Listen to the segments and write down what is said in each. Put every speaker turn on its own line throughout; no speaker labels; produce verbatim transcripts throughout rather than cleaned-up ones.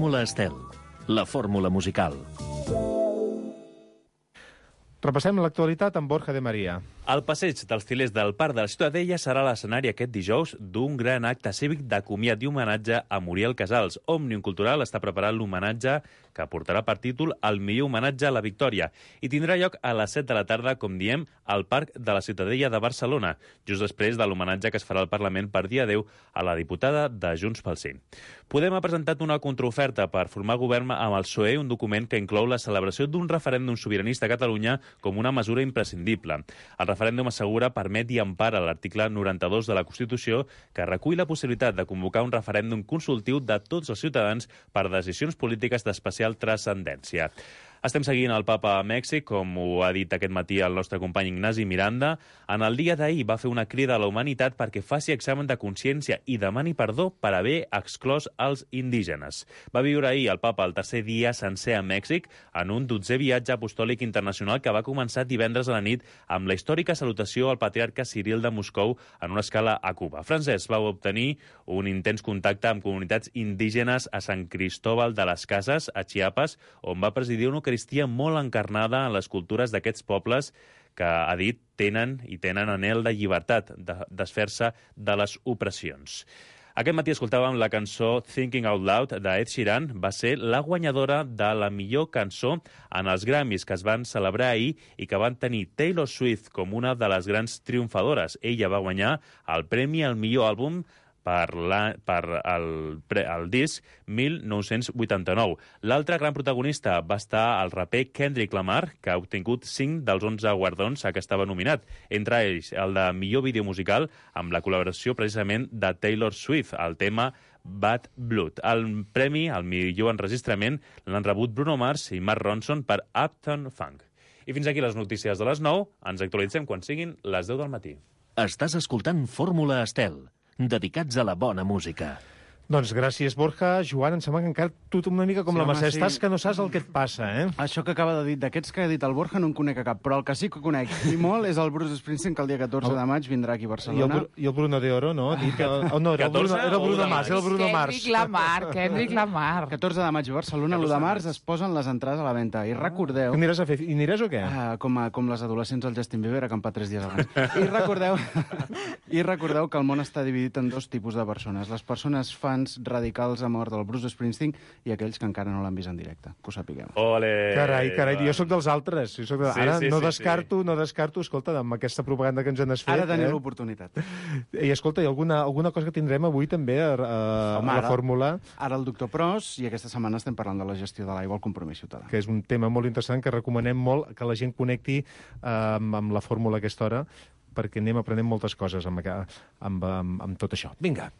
Fórmula Estel, la fórmula musical.
Repassem l'actualitat amb Borja de Maria.
El passeig dels filers del Parc de la Ciutadella serà l'escenari aquest dijous d'un gran acte cívic de comiat i homenatge a Muriel Casals. Òmnium Cultural està preparant l'homenatge que portarà per títol El millor homenatge a la victòria i tindrà lloc a les set de la tarda, com diem, al Parc de la Ciutadella de Barcelona, just després de l'homenatge que es farà al Parlament per dia deu a la diputada de Junts pel Sí. Podem ha presentat una contraoferta per formar govern amb el P S O E, un document que inclou la celebració d'un referèndum sobiranista a Catalunya com una mesura imprescindible. El referèndum assegura, permet i empara l'article noranta-dos de la Constitució, que recull la possibilitat de convocar un referèndum consultiu de tots els ciutadans per decisions polítiques d'especial transcendència. Estem seguint el papa a Mèxic, com ho ha dit aquest matí el nostre company Ignasi Miranda. En el dia d'ahir va fer una crida a la humanitat perquè faci examen de consciència i demani perdó per haver exclòs els indígenes. Va viure ahir el papa el tercer dia sencer a Mèxic en un dotzè viatge apostòlic internacional que va començar divendres a la nit amb la històrica salutació al patriarca Ciril de Moscou en una escala a Cuba. Francesc va obtenir un intens contacte amb comunitats indígenes a Sant Cristóbal de les Cases, a Chiapas, on va presidir una Eucaristia molt encarnada en les cultures d'aquests pobles que, ha dit, tenen i tenen anhel de llibertat, de desfer-se de les opressions. Aquest matí escoltàvem la cançó Thinking Out Loud d'Ed Sheeran. Va ser la guanyadora de la millor cançó en els Grammys que es van celebrar ahir i que van tenir Taylor Swift com una de les grans triomfadores. Ella va guanyar el premi al millor àlbum per, la, per el, el disc mil nou-cents vuitanta-nou. L'altre gran protagonista va estar el raper Kendrick Lamar, que ha obtingut cinc dels onze guardons a què estava nominat, entre ells el de millor vídeo musical amb la col·laboració precisament de Taylor Swift, el tema Bad Blood. El premi al millor enregistrament l'han rebut Bruno Mars i Mark Ronson per Uptown Funk. I fins aquí les notícies de les nou. Ens actualitzem quan siguin les deu del matí.
Estàs escoltant Fórmula Estel, dedicats a la bona música.
Doncs gràcies, Borja. Joan, em sembla que encara tu una mica com
Sí,
la
home,
Mercè.
sí.
Estàs que no saps el que et passa, eh?
Això que acaba de dir, d'aquests que ha dit el Borja no en conec a cap, però el que sí que conec, i molt, és el Bruce Springsteen, que el dia catorze de maig vindrà aquí a
I el,
Barcelona.
Bru- I el Bruno de Oro, no? Ha dit que... Oh, no, era el Bruno, era el Bruno Mars, era el Bruno Mars.
Kendrick Lamar, Kendrick Lamar.
catorze de maig a Barcelona, l'u de març es posen les entrades a la venda. I recordeu...
Què aniràs a fer? I aniràs o què?
Uh, com, a, com les adolescents al Justin Bieber, acampar tres dies abans. I recordeu, I recordeu que el món està dividit en dos tipus de persones. Les persones fans radicals a mort del Bruce Springsteen i aquells que encara no l'han vist en directe. Que ho sapigueu.
Ole!
Carai, carai, jo sóc dels altres. Jo soc de...
Sí,
Ara
sí,
no
sí,
descarto, no descarto, escolta, amb aquesta propaganda que ens han fet...
Ara teniu
eh?
l'oportunitat.
I escolta, hi ha alguna, alguna cosa que tindrem avui també a, a,
Home,
a la
ara-
fórmula,
Ara el doctor Pros, i aquesta setmana estem parlant de la gestió de l'aigua al compromís ciutadà.
que és un tema molt interessant, que recomanem molt que la gent connecti eh, amb, amb la fórmula a aquesta hora, perquè anem aprenent moltes coses amb, amb, amb, amb tot això. Vinga.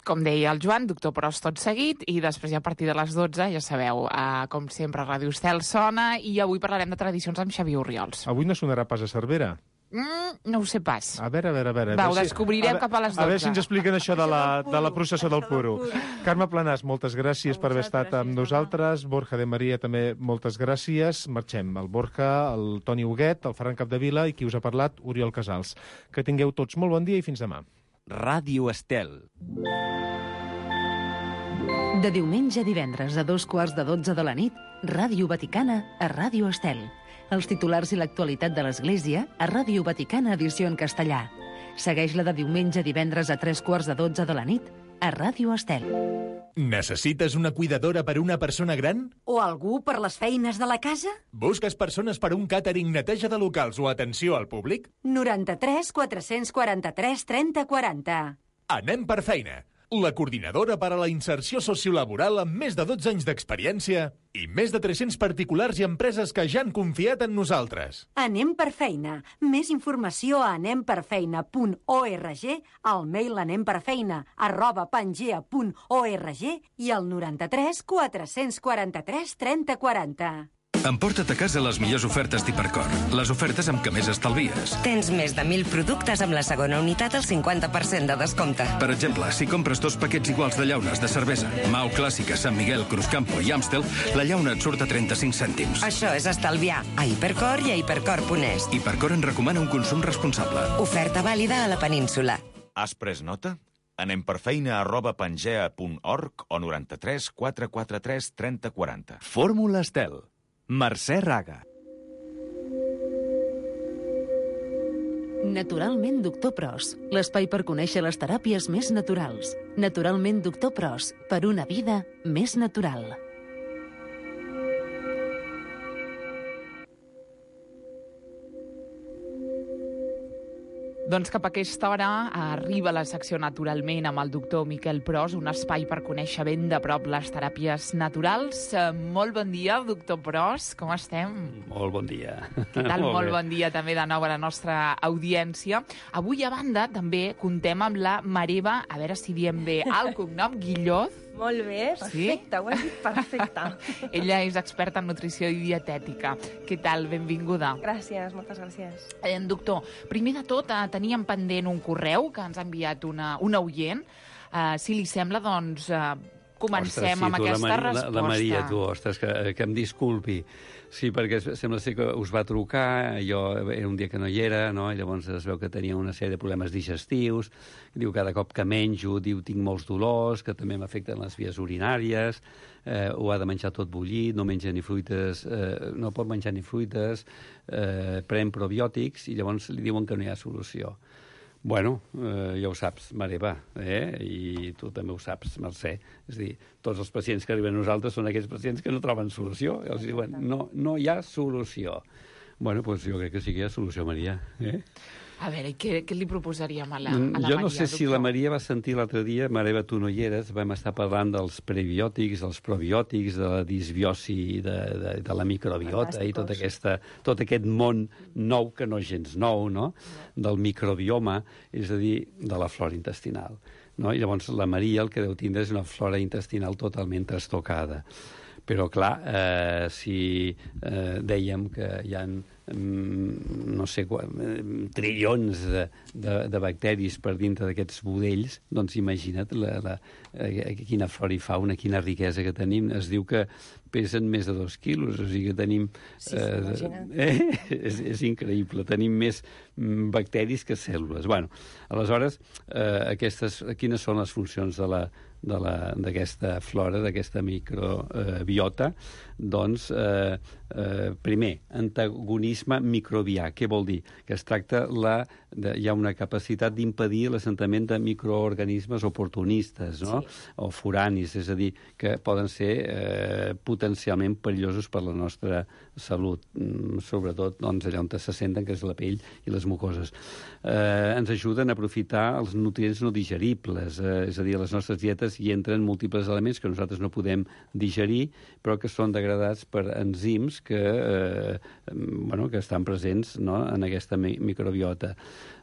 Com deia el Joan, doctor Pros tot seguit, i després ja a partir de les dotze, ja sabeu, eh, com sempre, Ràdio Estel sona, i avui parlarem de tradicions amb Xavier Orriols.
Avui no sonarà pas a Cervera.
Mm, no ho sé pas.
A veure, a veure, a veure.
Va,
a
ho
veure si-
descobrirem
a veure-
cap a les
A veure
dotze.
si ens expliquen això de la, de la processó del Puro. Carme Planàs, moltes gràcies per haver estat amb nosaltres. Borja de Maria, també moltes gràcies. Marxem. El Borja, el Toni Huguet, el Ferran Capdevila i qui us ha parlat, Oriol Casals. Que tingueu tots molt bon dia i fins demà.
Ràdio Estel.
De diumenge a divendres a dos quarts de dotze de la nit, Ràdio Vaticana a Ràdio Estel. Els titulars i l'actualitat de l'Església a Ràdio Vaticana edició en castellà. Segueix-la de diumenge a divendres a tres quarts de dotze de la nit a Ràdio Estel.
Necessites una cuidadora per una persona gran?
O algú per les feines de la casa?
Busques persones per un càtering, neteja de locals o atenció al públic?
noranta-tres quatre-cents quaranta-tres trenta quaranta.
Anem per feina. La coordinadora per a la inserció sociolaboral amb més de dotze anys d'experiència i més de tres-cents particulars i empreses que ja han confiat en nosaltres.
Anem per feina. Més informació a anemperfeina punt org, al mail anemperfeina arroba pangea punt org i al noranta-tres quatre-cents quaranta-tres trenta quaranta.
Emporta't a casa les millors ofertes d'Hipercor. Les ofertes amb què més estalvies.
Tens més de mil productes amb la segona unitat al cinquanta per cent de descompte.
Per exemple, si compres dos paquets iguals de llaunes de cervesa, Mau Clàssica, Sant Miguel, Cruzcampo i Amstel, la llauna et surt a trenta-cinc cèntims.
Això és estalviar a Hipercor i a hipercor punt es.
Hipercor en recomana un consum responsable.
Oferta vàlida a la península.
Has pres nota?
anemperfeina arroba pangea punt org o noranta-tres quatre quatre tres trenta quaranta.
Fórmula Estel. Mercè Raga.
Naturalment Doctor Pros, l'espai per conèixer les teràpies més naturals. Naturalment Doctor Pros, per una vida més natural.
Doncs cap a aquesta hora arriba la secció Naturalment amb el doctor Miquel Pros, un espai per conèixer ben de prop les teràpies naturals. Molt bon dia, doctor Pros, com estem?
Molt bon dia.
Què tal?
Molt
Molt
bé.
bon dia també de nou a la nostra audiència. Avui, a banda, també contem amb la Mareva, a veure si diem bé el cognom, Guilloz.
Molt bé, perfecte, ho has dit perfecte.
Ella és experta en nutrició i dietètica. Què tal? Benvinguda.
Gràcies, moltes gràcies.
Eh, doctor, primer de tot, eh, teníem pendent un correu que ens ha enviat una, una oient. Eh, si li sembla, doncs, eh, comencem
Ostres, sí,
amb
tu,
aquesta
la Maria,
resposta.
La, la Maria, tu, ostres, que, que em disculpi. Sí, perquè sembla ser que us va trucar, jo era un dia que no hi era, no? I llavors es veu que tenia una sèrie de problemes digestius, diu cada cop que menjo, diu tinc molts dolors, que també m'afecten les vies urinàries, eh, ho ha de menjar tot bullit, no menja ni fruites, eh, no pot menjar ni fruites, eh, pren probiòtics, i llavors li diuen que no hi ha solució. Bueno, eh, ja ho saps, Mareva, eh? I tu també ho saps, Mercè. És a dir, tots els pacients que arriben a nosaltres són aquells pacients que no troben solució. I els diuen, no, no hi ha solució. Bueno, doncs jo crec que sí que hi ha solució, Maria. Eh?
A veure, què, què li proposaríem a la, a la
jo
Maria,
no sé si
doctor?
la Maria va sentir l'altre dia, Mareva, tu no hi eres, vam estar parlant dels prebiòtics, dels probiòtics, de la disbiosi, de, de, de la microbiota i tot, aquesta, tot aquest món nou, que no és gens nou, no? Del microbioma, és a dir, de la flora intestinal. No? I llavors la Maria el que deu tindre és una flora intestinal totalment trastocada. Però, clar, eh, si eh, dèiem que hi ha mm, no sé, trilions de, de, de bacteris per dintre d'aquests budells, doncs imagina't la, la, eh, quina flora i fauna, quina riquesa que tenim. Es diu que pesen més de dos quilos, o sigui que tenim...
Sí, sí, imagina't.
Eh, és, és increïble, tenim més mm, bacteris que cèl·lules. Bueno, aleshores, eh, aquestes, quines són les funcions de la d'aquesta flora, d'aquesta microbiota? Doncs, eh, eh, primer, antagonisme microbià. Què vol dir? Que es tracta, la, de, hi ha una capacitat d'impedir l'assentament de microorganismes oportunistes, no? Sí. O foranis, és a dir, que poden ser eh, potencialment perillosos per la nostra salut, sobretot doncs, allà on s'assenten, que és la pell i les mucoses. Eh, ens ajuden a aprofitar els nutrients no digeribles, eh, és a dir, a les nostres dietes hi entren múltiples elements que nosaltres no podem digerir, però que són degradats per enzims que, eh, bueno, que estan presents, no?, en aquesta mi microbiota.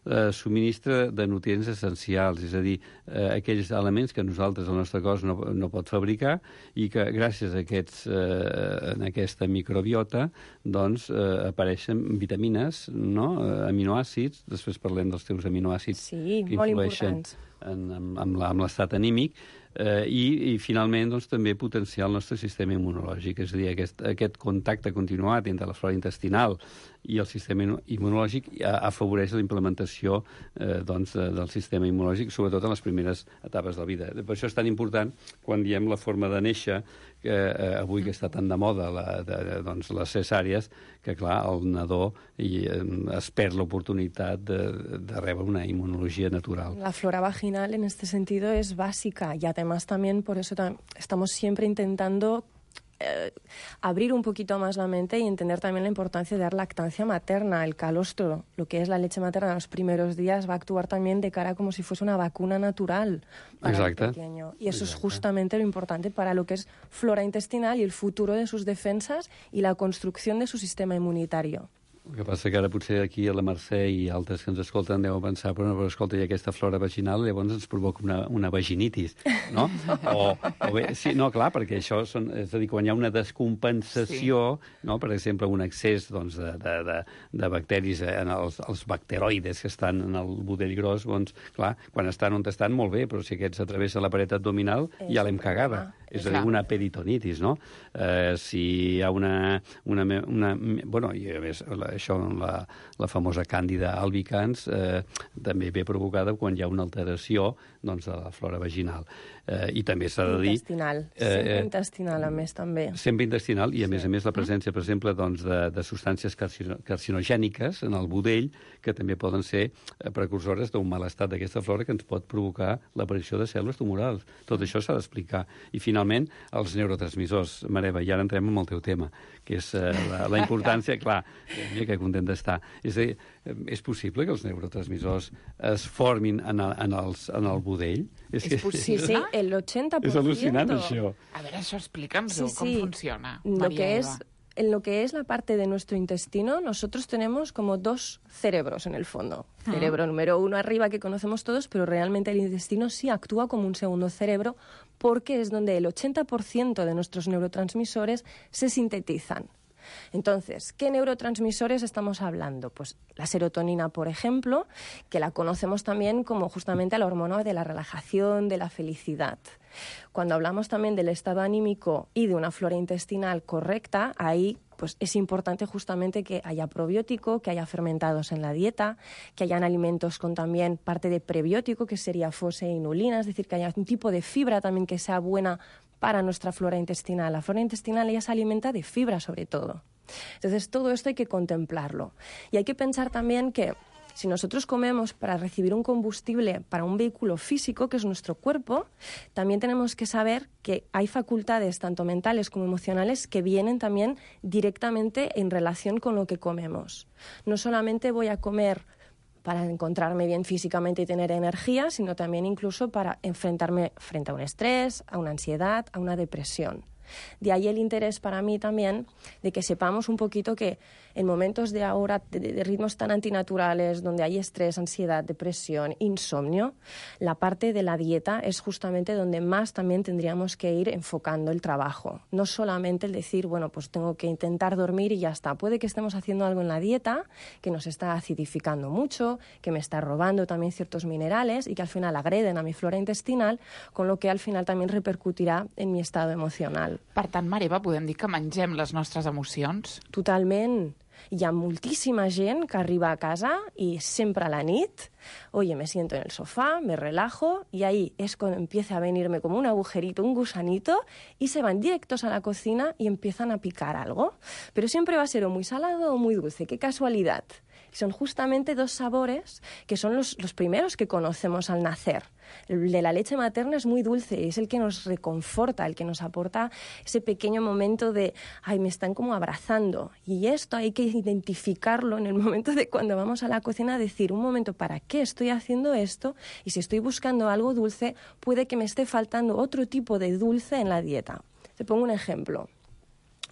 Eh, subministra de nutrients essencials, és a dir, eh, aquells elements que nosaltres, el nostre cos, no, no pot fabricar i que gràcies a aquests, eh, en aquesta microbiota doncs, eh, apareixen vitamines, no?, eh, aminoàcids, després parlem dels teus aminoàcids
sí,
que
molt
influeixen
importants.
en, amb, amb l'estat anímic, eh, i, i finalment doncs, també potenciar el nostre sistema immunològic, és a dir, aquest, aquest contacte continuat entre la flora intestinal i el sistema immunològic afavoreix la implementació eh, doncs, del sistema immunològic, sobretot en les primeres etapes de la vida. Per això és tan important, quan diem la forma de néixer, que eh, avui que està tan de moda la, de, de, doncs, les cesàries, que clar, el nadó i, eh, es perd l'oportunitat de, de rebre una inmunologia natural.
La flora vaginal en este sentido es básica y además también por eso tam estamos siempre intentando eh, abrir un poquito más la mente y entender también la importancia de dar lactancia materna. El calostro, lo que es la leche materna en los primeros días, va a actuar también de cara como si fuese una vacuna natural para
Exacte.
el pequeño. Y eso
Exacte.
es justamente lo importante para lo que es flora intestinal y el futuro de sus defensas y la construcción de su sistema inmunitario.
El que passa que ara potser aquí a la Mercè i altres que ens escolten deuen pensar, però, no, però escolta, hi ha aquesta flora vaginal, llavors ens provoca una, una vaginitis, no? O, o bé, sí, no, clar, perquè això són, és a dir, quan hi ha una descompensació, sí. No? Per exemple, un excés doncs, de, de, de, de bacteris, en els, els bacteroides que estan en el budell gros, doncs, clar, quan estan on estan, molt bé, però si aquests atravessa la paret abdominal, ja l'hem cagada. És a dir, una peritonitis, no? Eh, si hi ha una... una, una bueno, i a més, la, això, la, la famosa càndida albicans, eh, també ve provocada quan hi ha una alteració doncs, de la flora vaginal. Eh, I també s'ha de dir...
Intestinal, sempre eh, intestinal, a més, també.
Sempre intestinal, i a
Sí.
més a més la presència, per exemple, doncs, de, de substàncies carcino, carcinogèniques en el budell, que també poden ser precursores d'un mal estat d'aquesta flora que ens pot provocar l'aparició de cèl·lules tumorals. Tot això s'ha d'explicar. I, finalment, els neurotransmissors. Mareva, i ara entrem en el teu tema, que és eh, la, la importància, clar, mira que content d'estar. És a dir, és possible que els neurotransmissors es formin en el, en els, en el budell?
És, és possible. Sí, sí, el ochenta por ciento.
És al·lucinant, això.
A ver, eso explica'ns-ho,
Sí, sí.
cómo funciona.
Lo
María
que
Eva.
es, en lo que es la parte de nuestro intestino, nosotros tenemos como dos cerebros en el fondo.
Ah.
Cerebro número uno arriba que conocemos todos, pero realmente el intestino sí actúa como un segundo cerebro porque es donde el ochenta por ciento de nuestros neurotransmisores se sintetizan. Entonces, ¿qué neurotransmisores estamos hablando? Pues la serotonina, por ejemplo, que la conocemos también como justamente la hormona de la relajación, de la felicidad. Cuando hablamos también del estado anímico y de una flora intestinal correcta, ahí pues es importante justamente que haya probiótico, que haya fermentados en la dieta, que hayan alimentos con también parte de prebiótico, que sería fose e inulina, es decir, que haya un tipo de fibra también que sea buena para nuestra flora intestinal. La flora intestinal ella se alimenta de fibra sobre todo. Entonces todo esto hay que contemplarlo. Y hay que pensar también que si nosotros comemos para recibir un combustible para un vehículo físico, que es nuestro cuerpo, también tenemos que saber que hay facultades, tanto mentales como emocionales, que vienen también directamente en relación con lo que comemos. No solamente voy a comer para encontrarme bien físicamente y tener energía, sino también incluso para enfrentarme frente a un estrés, a una ansiedad, a una depresión. De ahí el interés para mí también de que sepamos un poquito que en momentos de ahora de, de ritmos tan antinaturales, donde hay estrés, ansiedad, depresión, insomnio, la parte de la dieta es justamente donde más también tendríamos que ir enfocando el trabajo. No solamente el decir, bueno, pues tengo que intentar dormir y ya está. Puede que estemos haciendo algo en la dieta que nos está acidificando mucho, que me está robando también ciertos minerales y que al final agreden a mi flora intestinal, con lo que al final también repercutirà en mi estado emocional.
Per tant, Mareva, podem dir que mengem les nostres emocions?
Totalment. Hi ha moltíssima gent que arriba a casa y siempre a la nit, oye, me siento en el sofá, me relajo y ahí es cuando empieza a venirme como un agujerito, un gusanito y se van directos a la cocina y empiezan a picar algo. Pero siempre va a ser o muy salado o muy dulce. ¡Qué casualidad! Son justamente dos sabores que son los, los primeros que conocemos al nacer. El de la leche materna es muy dulce, es el que nos reconforta, el que nos aporta ese pequeño momento de, ay, me están como abrazando. Y esto hay que identificarlo en el momento de cuando vamos a la cocina, decir, un momento, ¿para qué estoy haciendo esto? Y si estoy buscando algo dulce, puede que me esté faltando otro tipo de dulce en la dieta. Te pongo un ejemplo.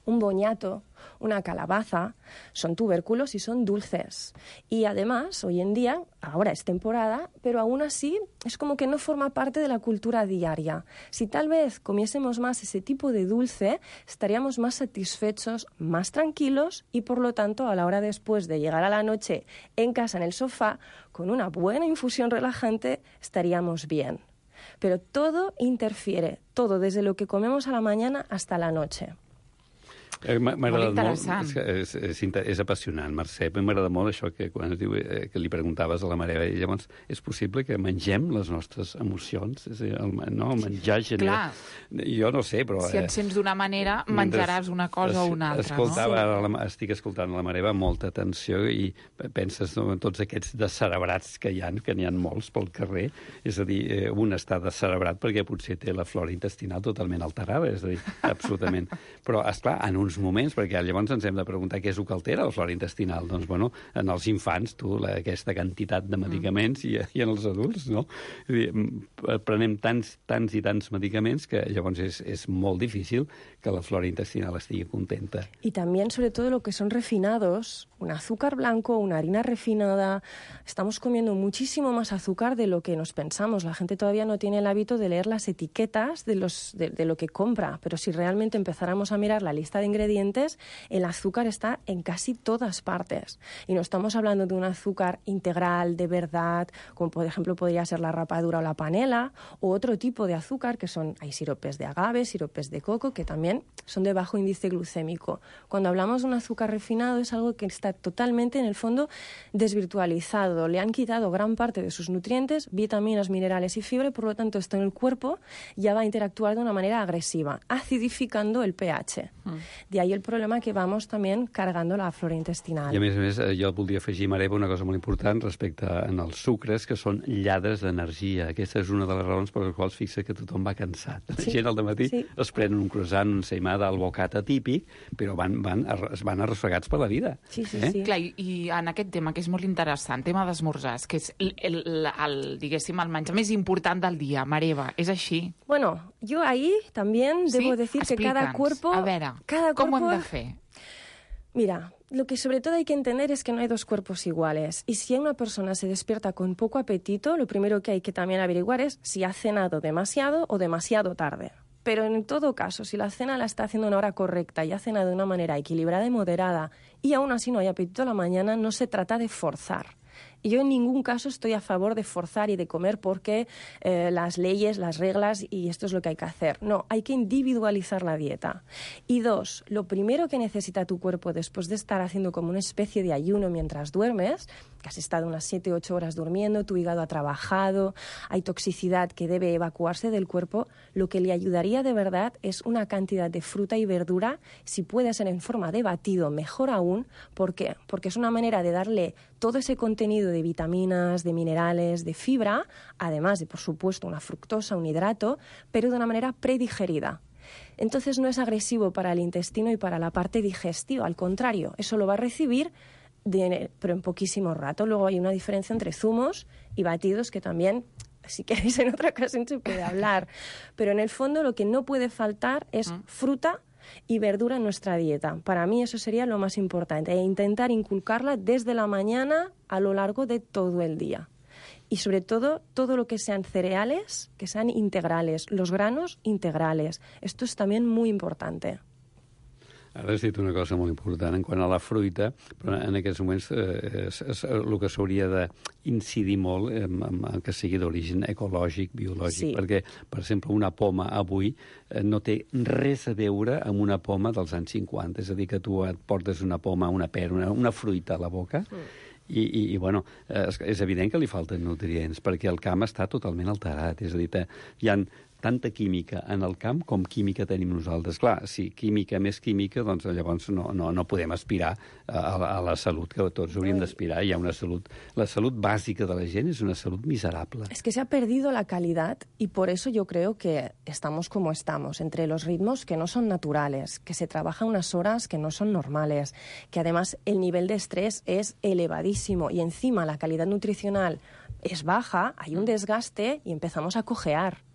Un boñato, una calabaza, son tubérculos y son dulces. Y además, hoy en día, ahora es temporada, pero aún así es como que no forma parte de la cultura diaria. Si tal vez comiésemos más ese tipo de dulce, estaríamos más satisfechos, más tranquilos y, por lo tanto, a la hora después de llegar a la noche en casa, en el sofá, con una buena infusión relajante, estaríamos bien. Pero todo interfiere, todo, desde lo que comemos a la mañana hasta la noche.
Eh, M'ha agradat molt,
interessant.
és, és, és, és apassionant, Mercè. M'agrada molt això que quan es diu, eh, que li preguntaves a la Mareva. I llavors, és possible que mengem les nostres emocions? És a dir, el, no, el menjar genera... Jo no sé, però...
Si et sents d'una manera, menjaràs una cosa o una altra,
escoltava,
no?
La, estic escoltant la Mareva amb molta atenció i penses no, en tots aquests descerebrats que hi ha, que n'hi ha molts pel carrer. És a dir, eh, un està descerebrat perquè potser té la flora intestinal totalment alterada, és a dir, absolutament. Però, esclar, en uns moments, perquè llavors ens hem de preguntar què és el que altera la flora intestinal. Doncs, bueno, en els infants, tu, la, aquesta quantitat de medicaments mm. i, i en els adults, no? És a dir, prenem tants, tants i tants medicaments que llavors és, és molt difícil que la flora intestinal estigui contenta.
Y también, sobre todo, lo que son refinados, un azúcar blanco, una harina refinada. Estamos comiendo muchísimo más azúcar de lo que nos pensamos. La gente todavía no tiene el hábito de leer las etiquetas de, los, de, de lo que compra, pero si realmente empezáramos a mirar la lista de ingredientes, ingredientes, el azúcar está en casi todas partes. Y no estamos hablando de un azúcar integral, de verdad, como por ejemplo podría ser la rapadura o la panela, o otro tipo de azúcar, que son, hay siropes de agave, siropes de coco, que también son de bajo índice glucémico. Cuando hablamos de un azúcar refinado es algo que está totalmente, en el fondo, desvirtualizado. Le han quitado gran parte de sus nutrientes, vitaminas, minerales y fibra, y por lo tanto esto en el cuerpo ya va a interactuar de una manera agresiva, acidificando el pH. Mm. De ahí el problema que vamos también cargando la flora intestinal.
I a més a més, jo voldria afegir, Mareva, una cosa molt important respecte als sucres, que són lladres d'energia. Aquesta és una de les raons per les quals fixa que tothom va cansat. La sí. gent al dematí sí. es prenen un croissant, un seimada, el bocata típic, però van, van, es van arrossegats per la vida.
Sí, sí, eh? sí. Clar, i, i en aquest tema, que és molt interessant, tema d'esmorzars, que és el, el, el, diguéssim, el menjar més important del dia, Mareva, ¿es així?
Bueno, yo ahí también
¿Sí?
debo decir
Explica'ns.
que cada cuerpo...
A veure,
cada
com
cuerpo...
ho hem de fer?
Mira, lo que sobre todo hay que entender es que no hay dos cuerpos iguales. Y si una persona se despierta con poco apetito, lo primero que hay que también averiguar es si ha cenado demasiado o demasiado tarde. Pero en todo caso, si la cena la está haciendo a una hora correcta y ha cenado de una manera equilibrada y moderada y aún así no hay apetito a la mañana, no se trata de forzar. Y yo en ningún caso estoy a favor de forzar y de comer porque eh, las leyes, las reglas y esto es lo que hay que hacer. No, hay que individualizar la dieta. Y dos, lo primero que necesita tu cuerpo después de estar haciendo como una especie de ayuno mientras duermes, que has estado unas siete u ocho horas durmiendo, tu hígado ha trabajado, hay toxicidad que debe evacuarse del cuerpo, lo que le ayudaría de verdad es una cantidad de fruta y verdura, si puede ser en forma de batido, mejor aún. ¿Por qué? Porque es una manera de darle todo ese contenido de vitaminas, de minerales, de fibra, además de, por supuesto, una fructosa, un hidrato, pero de una manera predigerida. Entonces no es agresivo para el intestino y para la parte digestiva, al contrario, eso lo va a recibir, de, pero en poquísimo rato. Luego hay una diferencia entre zumos y batidos que también, si queréis, en otra ocasión se puede hablar. Pero en el fondo lo que no puede faltar es fruta y verdura en nuestra dieta. Para mí eso sería lo más importante, e intentar inculcarla desde la mañana a lo largo de todo el día. Y sobre todo, todo lo que sean cereales, que sean integrales, los granos integrales. Esto es también muy importante.
Ara has dit una cosa molt important en quant a la fruita, però en aquests moments eh, és, és el que s'hauria d'incidir molt eh, en, en que sigui d'origen ecològic, biològic, sí. perquè, per exemple, una poma avui eh, no té res a veure amb una poma dels anys cinquanta, és a dir, que tu et portes una poma, una pera, una, una fruita a la boca, mm. I, i, i bueno, és, és evident que li falten nutrients, perquè el camp està totalment alterat, és a dir, hi ha tanta química en el camp com química tenim nosaltres. Clar, si química més química, doncs llavors no, no, no podem aspirar a, a la salut que tots hauríem d'aspirar. Hi ha una salut... La salut bàsica de la gent és una salut miserable.
Es que se ha perdido la calidad y por eso yo creo que estamos como estamos, entre los ritmos que no son naturales, que se trabaja unas horas que no son normales, que además el nivel de estrés es elevadísimo y encima la calidad nutricional es baja, hay un desgaste y empezamos a cojear.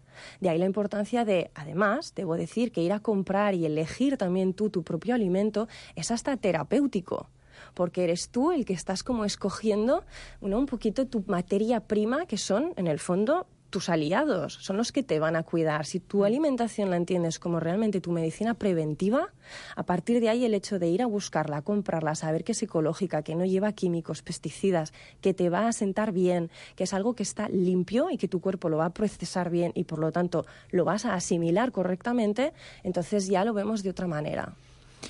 De ahí la importancia de, además, debo decir que ir a comprar y elegir también tú tu propio alimento es hasta terapéutico, porque eres tú el que estás como escogiendo, ¿no?, un poquito tu materia prima, que son, en el fondo, tus aliados, son los que te van a cuidar. Si tu alimentación la entiendes como realmente tu medicina preventiva, a partir de ahí el hecho de ir a buscarla, comprarla, saber que es ecológica, que no lleva químicos, pesticidas, que te va a sentar bien, que es algo que está limpio y que tu cuerpo lo va a procesar bien y por lo tanto lo vas a asimilar correctamente, entonces ya lo vemos de otra manera.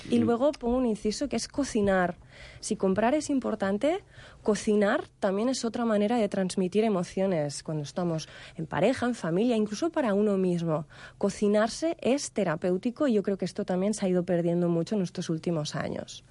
Y luego pongo un inciso que es cocinar. Si comprar es importante, cocinar también es otra manera de transmitir emociones cuando estamos en pareja, en familia, incluso para uno mismo. Cocinarse es terapéutico y yo creo que esto también se ha ido perdiendo mucho en estos últimos años.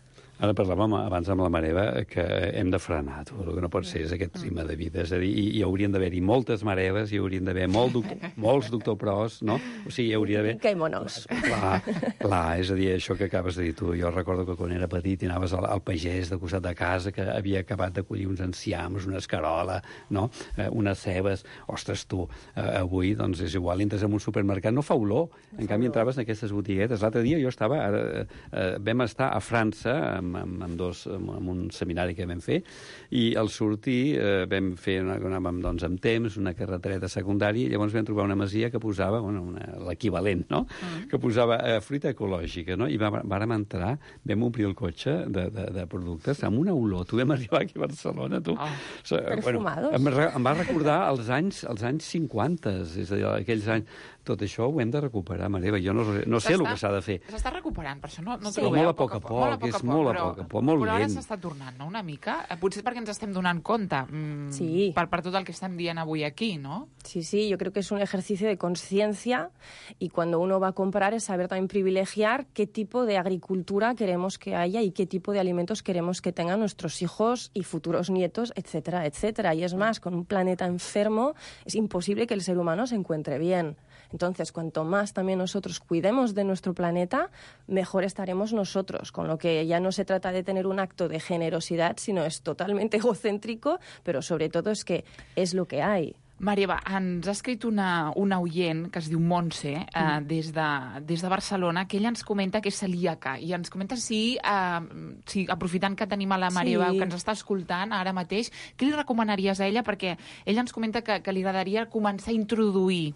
Ara parlàvem abans amb la Mareva que hem de frenar, tu. El que no pot ser és aquest ritme de vida. És a dir, hi, hi haurien d'haver-hi moltes Mareves, hi haurien d'haver molt doctor, molts doctor Pros, no? O sigui, hi hauria d'haver...
Queimonos.
Clar, clar, és a dir, això que acabes de dir tu. Jo recordo que quan era petit i anaves al, al pagès de costat de casa que havia acabat de collir uns enciams, una escarola, no? Eh, unes cebes. Ostres, tu, eh, avui, doncs, és igual, entres en un supermercat, no fa olor. En canvi, entraves en aquestes botiguetes. L'altre dia jo estava... Ara, eh, vam estar a França amb amb, amb, amb, dos, amb, amb un seminari que vam fer, i al sortir eh, vam fer, una, anàvem doncs, amb temps, una carretereta secundària, i llavors vam trobar una masia que posava, bueno, l'equivalent, no? Mm. Que posava eh, fruita ecològica, no? I vàrem entrar, vam omplir el cotxe de, de, de productes amb una olor. Tu vam arribar aquí a Barcelona, tu. Oh. O sigui, bueno, em, em va recordar els anys, els anys cinquanta, és a dir, aquells anys. Tot això ho hem de recuperar, Mareva. Jo no, no sé el que s'ha de fer.
S'està recuperant, per això no, no
sí.
trobeu.
Molt a poc a poc, molt a poc, és molt a poc a poc, molt
però
lent.
Però ara s'està tornant, no?, una mica. Potser perquè ens estem donant compte mm,
sí.
per, per tot el que estem dient avui aquí, ¿no?
Sí, sí, yo creo que es un ejercicio de conciencia y cuando uno va a comprar es saber también privilegiar qué tipo de agricultura queremos que haya y qué tipo de alimentos queremos que tengan nuestros hijos y futuros nietos, etcétera, etcétera. Y es más, con un planeta enfermo es imposible que el ser humano se encuentre bien. Entonces, cuanto más también nosotros cuidemos de nuestro planeta, mejor estaremos nosotros, con lo que ya no se trata de tener un acto de generosidad, sino es totalmente egocéntrico, pero sobre todo es que es lo que hay.
Marieva, ens ha escrit una, una oient que es diu Montse, eh, mm. des, de, des de Barcelona, que ella ens comenta que és celíaca, i ens comenta si, eh, si aprofitant que tenim a la Marieva, sí. que ens està escoltant ara mateix, què li recomanaries a ella? Perquè ella ens comenta que, que li agradaria començar a introduir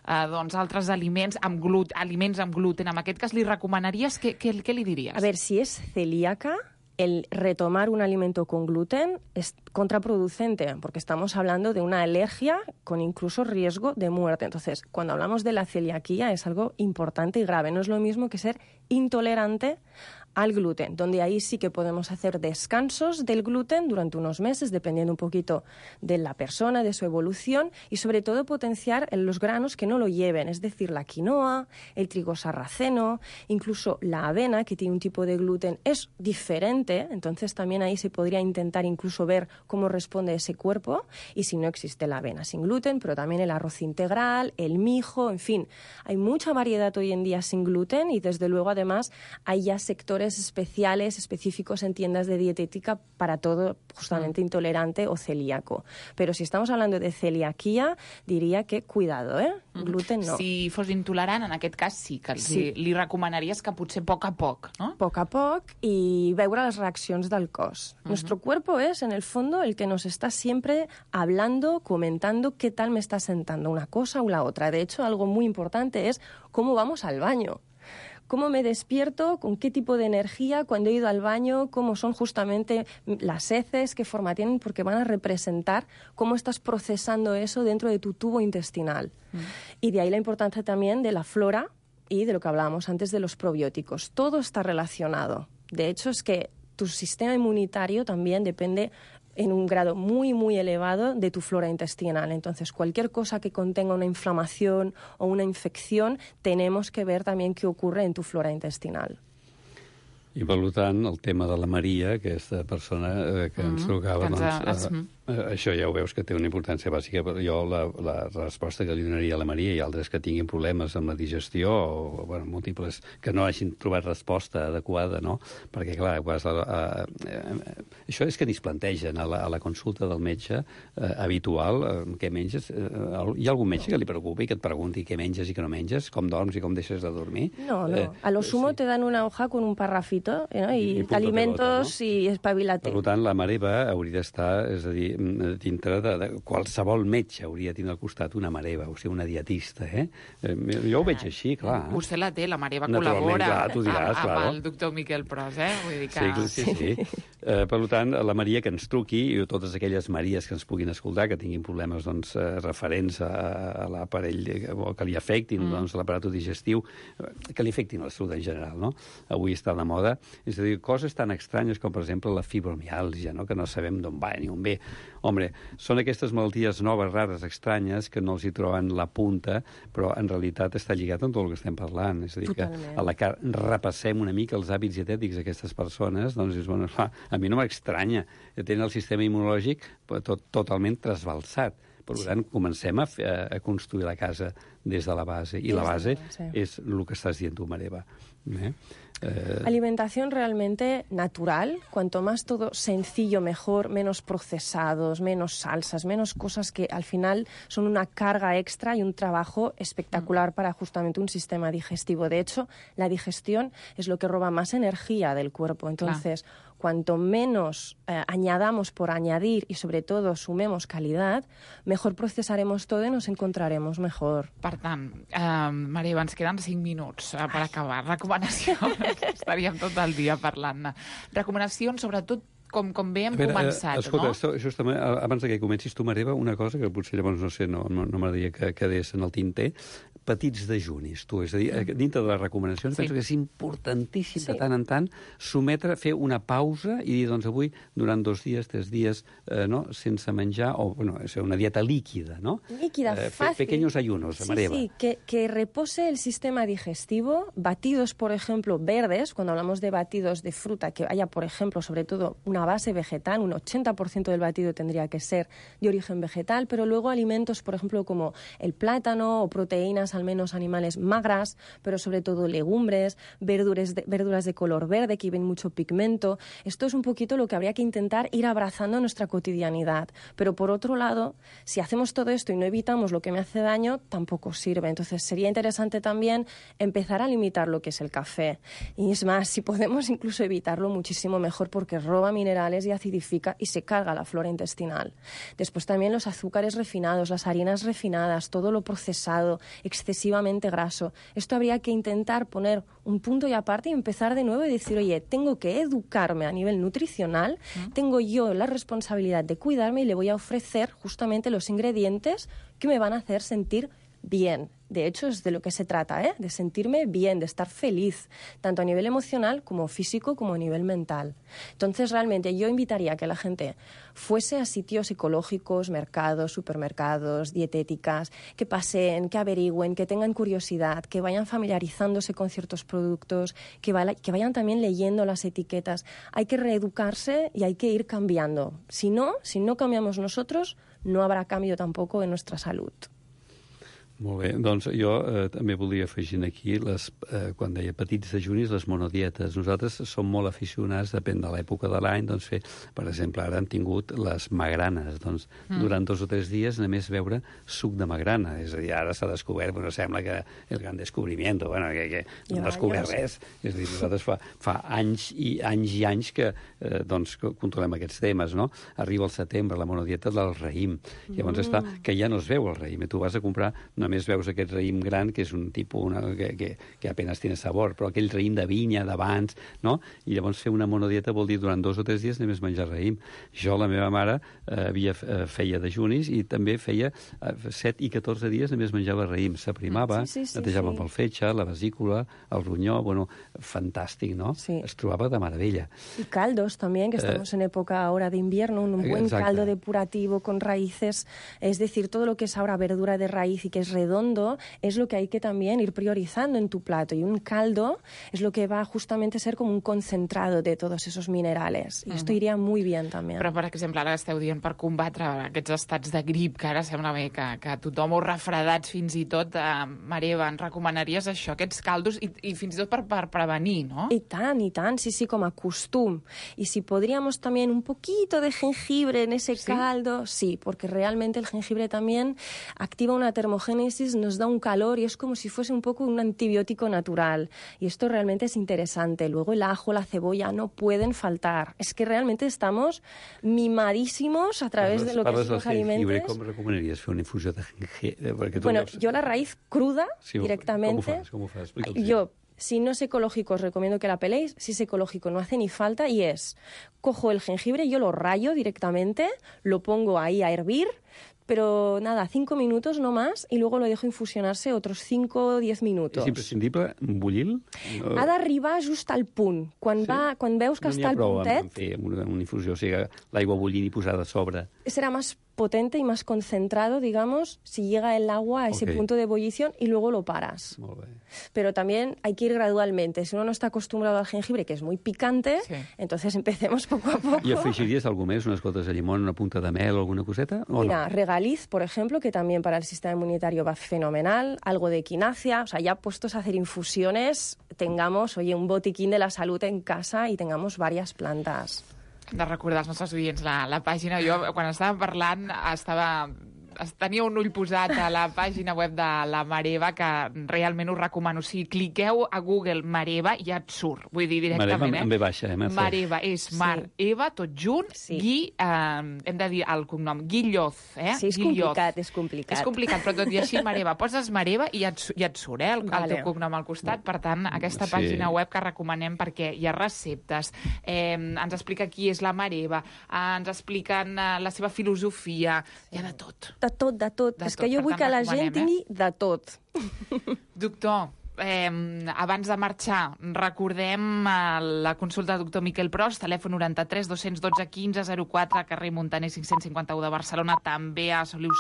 Uh, doncs, altres aliments amb, glut aliments amb gluten. En aquest cas, li recomanaries? Què, què, què li diries?
A ver, si es celíaca, el retomar un alimento con gluten es contraproducente, porque estamos hablando de una alergia con incluso riesgo de muerte. Entonces, cuando hablamos de la celiaquía es algo importante y grave. No es lo mismo que ser intolerante al gluten, donde ahí sí que podemos hacer descansos del gluten durante unos meses, dependiendo un poquito de la persona, de su evolución, y sobre todo potenciar los granos que no lo lleven, es decir, la quinoa, el trigo sarraceno, incluso la avena, que tiene un tipo de gluten, es diferente, entonces también ahí se podría intentar incluso ver cómo responde ese cuerpo, y si no existe la avena sin gluten, pero también el arroz integral, el mijo, en fin, hay mucha variedad hoy en día sin gluten, y desde luego además hay ya sectores especiales, específicos en tiendas de dietética para todo justamente mm. intolerante o celíaco. Pero si estamos hablando de celiaquía, diría que cuidado, ¿eh? Mm. Gluten no.
Si fos intolerant, en aquest cas sí, que sí. Li, li recomanaries que potser a poc a poc, no?
A poc a poc i veure les reaccions del cos. Mm-hmm. Nuestro cuerpo es, en el fondo, el que nos está siempre hablando, comentando qué tal me está sentando una cosa o la otra. De hecho, algo muy importante es cómo vamos al baño. ¿Cómo me despierto? ¿Con qué tipo de energía? Cuando he ido al baño, ¿cómo son justamente las heces? ¿Qué forma tienen? Porque van a representar cómo estás procesando eso dentro de tu tubo intestinal. Mm. Y de ahí la importancia también de la flora y de lo que hablábamos antes de los probióticos. Todo está relacionado. De hecho, es que tu sistema inmunitario también depende en un grado muy, muy elevado de tu flora intestinal. Entonces, cualquier cosa que contenga una inflamación o una infección, tenemos que ver también qué ocurre en tu flora intestinal.
I, per tant, el tema de la Maria, aquesta persona eh, que ens trucava, mm -hmm. doncs, eh, eh, això ja ho veus que té una importància bàsica. Però jo la, la resposta que li donaria a la Maria i altres que tinguin problemes amb la digestió o, bueno, múltiples, que no hagin trobat resposta adequada, no? Perquè, clar, quasi, eh, eh, això és que ni es plantegen a la, a la consulta del metge eh, habitual, eh, què menges. Eh, hi ha algun metge que li preocupi i que et pregunti què menges i què no menges, com dorms i com deixes de dormir?
No, no. Eh, a lo sumo sí. te dan una hoja con un parrafito, ¿no? I, I alimentos pelota, no? I espavilate.
Per tant, la Mareva hauria d'estar, és a dir, dintre de, de qualsevol metge hauria de tenir al costat una Mareva, o sigui, una dietista, eh? Jo ho veig així, clar.
Vostè la té, la Mareva col·labora
clar, tu diràs,
amb,
claro.
amb el doctor Miquel Pros, eh? Vull dir que...
Sí, sí, sí. sí. Eh, per tant, la Maria que ens truqui, i totes aquelles Maries que ens puguin escoltar, que tinguin problemes doncs, eh, referents a, a l'aparell, o que li afectin mm. doncs, l'aparat digestiu, que li afectin a la salut en general, no? Avui està de moda. És a dir, coses tan estranyes com, per exemple, la fibromiàlgia, no? Que no sabem d'on va ni on ve. Home, són aquestes malalties noves, rares, estranyes, que no els hi troben la punta, però en realitat està lligat amb tot el que estem parlant. És a dir, Totalment. que a la que repassem una mica els hàbits dietètics d'aquestes persones, doncs és, bueno, a mi no m'estranya. Tenen el sistema immunològic tot, totalment trasbalsat. Per tant, comencem a, fer, a construir la casa des de la base. I
Des
la
de la
base
base.
és el que estàs dient tu, Mareva. Eh? Eh,
Alimentación realmente natural, cuanto más todo sencillo mejor, menos procesados, menos salsas, menos cosas que al final son una carga extra y un trabajo espectacular para justamente un sistema digestivo. De hecho, la digestión es lo que roba más energía del cuerpo. Entonces, claro, cuanto menos eh, añadamos por añadir y sobre todo sumemos calidad, mejor procesaremos todo y nos encontraremos mejor.
Per tant, eh, Maria, ens queden cinc minuts eh, per acabar. Recomanacions. Estaríem tot el dia parlant-ne. Recomanacions, sobretot, com, com bé hem
veure,
començat,
eh, escolta,
no?
Escolta, justament, abans que comencis tu, Mareva, una cosa que potser llavors, no sé, no, no, no m'agradaria que quedés en el tinter, petits dejunis, tu. És a dir, dintre de les recomanacions, sí, penso que és importantíssim sí, de tant en tant sometre, fer una pausa i dir, doncs avui, durant dos dies, tres dies, eh, no?, sense menjar, o, bueno, és una dieta líquida, ¿no?
Líquida,
eh,
fácil.
Pequeños ayunos,
sí,
Mareva.
Sí, que, que repose el sistema digestivo, batidos, por ejemplo, verdes, cuando hablamos de batidos de fruta, que haya, por ejemplo, sobre todo una base vegetal, un ochenta por ciento del batido tendría que ser de origen vegetal, pero luego alimentos, por ejemplo, como el plátano o proteínas, al menos animales magras, pero sobre todo legumbres, verduras de, verduras de color verde, que ven mucho pigmento. Esto es un poquito lo que habría que intentar ir abrazando en nuestra cotidianidad. Pero por otro lado, si hacemos todo esto y no evitamos lo que me hace daño, tampoco sirve. Entonces sería interesante también empezar a limitar lo que es el café. Y es más, si podemos incluso evitarlo, muchísimo mejor, porque roba minerales y acidifica y se carga la flora intestinal. Después también los azúcares refinados, las harinas refinadas, todo lo procesado, excesivamente graso. Esto habría que intentar poner un punto y aparte y empezar de nuevo y decir, oye, tengo que educarme a nivel nutricional, ¿Mm? tengo yo la responsabilidad de cuidarme y le voy a ofrecer justamente los ingredientes que me van a hacer sentir bien. De hecho, es de lo que se trata, ¿eh? De sentirme bien, de estar feliz, tanto a nivel emocional como físico como a nivel mental. Entonces, realmente, yo invitaría a que la gente fuese a sitios ecológicos, mercados, supermercados, dietéticas, que paseen, que averigüen, que tengan curiosidad, que vayan familiarizándose con ciertos productos, que, vaya, que vayan también leyendo las etiquetas. Hay que reeducarse y hay que ir cambiando. Si no, si no cambiamos nosotros, no habrá cambio tampoco en nuestra salud.
Molt bé, doncs jo eh, també volia afegir aquí, les, eh, quan deia petits dejunis, les monodietes. Nosaltres som molt aficionats, depèn de l'època de l'any, doncs fer, per exemple, ara hem tingut les magranes, doncs mm. durant dos o tres dies només beure suc de magrana. És a dir, ara s'ha descobert, bueno, sembla que el gran descobriment, bueno, que, que no hem descobert res. És a dir, nosaltres fa, fa anys i anys i anys que, eh, doncs, que controlem aquests temes, no? Arriba el setembre, la monodieta del raïm. Llavors mm. està, que ja no es veu el raïm, i tu vas a comprar, només veus aquest raïm gran, que és un tipus una, que, que, que apenas tiene sabor, però aquell raïm de vinya, d'abans, no? I llavors fer una monodieta vol dir durant dos o tres dies només menjar raïm. Jo, la meva mare, eh, havia, eh, feia dejunis i també feia eh, set i catorze dies només menjava raïm. S'aprimava, sí, sí, sí, netejava sí. amb el fetge, la vesícula, el ronyó, bueno, fantàstic, ¿no?
Sí.
Es trobava de meravella.
Y caldos también, que estamos eh, en época ahora de invierno, un buen exacte. caldo depurativo con raíces, es decir, todo lo que es ahora verdura de raíz y que es redondo, es lo que hay que también ir priorizando en tu plato. Y un caldo es lo que va justamente a ser como un concentrado de todos esos minerales. Y uh-huh. esto iría muy bien también.
Però, per exemple, ara esteu dient per combatre aquests estats de grip, que ara sembla bé que, que tothom ho refredats fins i tot. Eh, Marieva, ens recomanaries això, aquests caldos, i, i fins i tot per, per prevenir, no?
Y tan, y tan, sí, sí, como a costum. Y si podríamos también un poquito de jengibre en ese ¿Sí? caldo, sí, porque realmente el jengibre también activa una termogénesis, nos da un calor y es como si fuese un poco un antibiótico natural. Y esto realmente es interesante. Luego el ajo, la cebolla no pueden faltar. Es que realmente estamos mimadísimos a través
Parles,
de lo que son los alimentos.
¿Cómo recomendarías fer una infusió de jengibre?
Bueno, veus... yo la raíz cruda
sí,
directamente.
¿Cómo fas? ¿Cómo fas?
Yo, si no es ecológico, os recomiendo que la peléis. Si es ecológico, no hace ni falta. Y es, cojo el jengibre, yo lo rayo directamente, lo pongo ahí a hervir, pero nada, cinco minutos no más, y luego lo dejo infusionarse otros cinco o diez minutos.
És imprescindible bullir?
No... Ha d'arribar just al punt. Quan, sí? va, quan veus que
no
està al puntet...
No n'hi ha prou amb fer una, una infusió, o sigui, l'aigua bullint i posada a sobre.
Serà més potente y más concentrado, digamos, si llega el agua a ese
Ok.
punto de ebullición y luego lo paras.
Molt bé.
Pero también hay que ir gradualmente. Si uno no está acostumbrado al jengibre, que es muy picante,
Sí.
entonces empecemos poco a poco.
I afegiries alguna més? Unes gotes de llimón, una punta de mel, alguna coseta? O
Mira,
no?
regaliz, por ejemplo, que también para el sistema inmunitario va fenomenal, algo de equinacia, o sea, ya puestos a hacer infusiones, tengamos, oye, un botiquín de la salud en casa y tengamos varias plantas.
Hem de recordar als nostres oients la, la pàgina. Jo, quan estava parlant, estava... tenia un ull posat a la pàgina web de la Mareva, que realment us recomano. Si cliqueu a Google Mareva, ja et surt. Vull dir, directament,
Mareva
eh?
amb B baixa, eh? Mercè?
Mareva, és Mar,
Sí.
Eva, tot junt,
Sí.
Gui, eh, hem de dir el cognom, Guilloz, eh?
Sí, és
Guilloz.
complicat, és complicat.
És complicat, però tot i així, Mareva, poses Mareva i ja et, su- ja et surt, eh, el,
Vale.
el teu cognom al costat. Per tant, aquesta
Sí.
pàgina web que recomanem perquè hi ha receptes, eh, ens explica qui és la Mareva, eh, ens expliquen eh, la seva filosofia, hi ha de tot.
De tot, de tot.
De
És
tot,
que jo
per
vull
tant,
que la
recomanem,
gent tingui de tot.
Doctor, eh, abans de marxar, recordem eh, la consulta del doctor Miquel Pros, telèfon noranta-tres dos dotze quinze zero quatre, carrer Montaner cinc-cents cinquanta-u de Barcelona, també a Soliu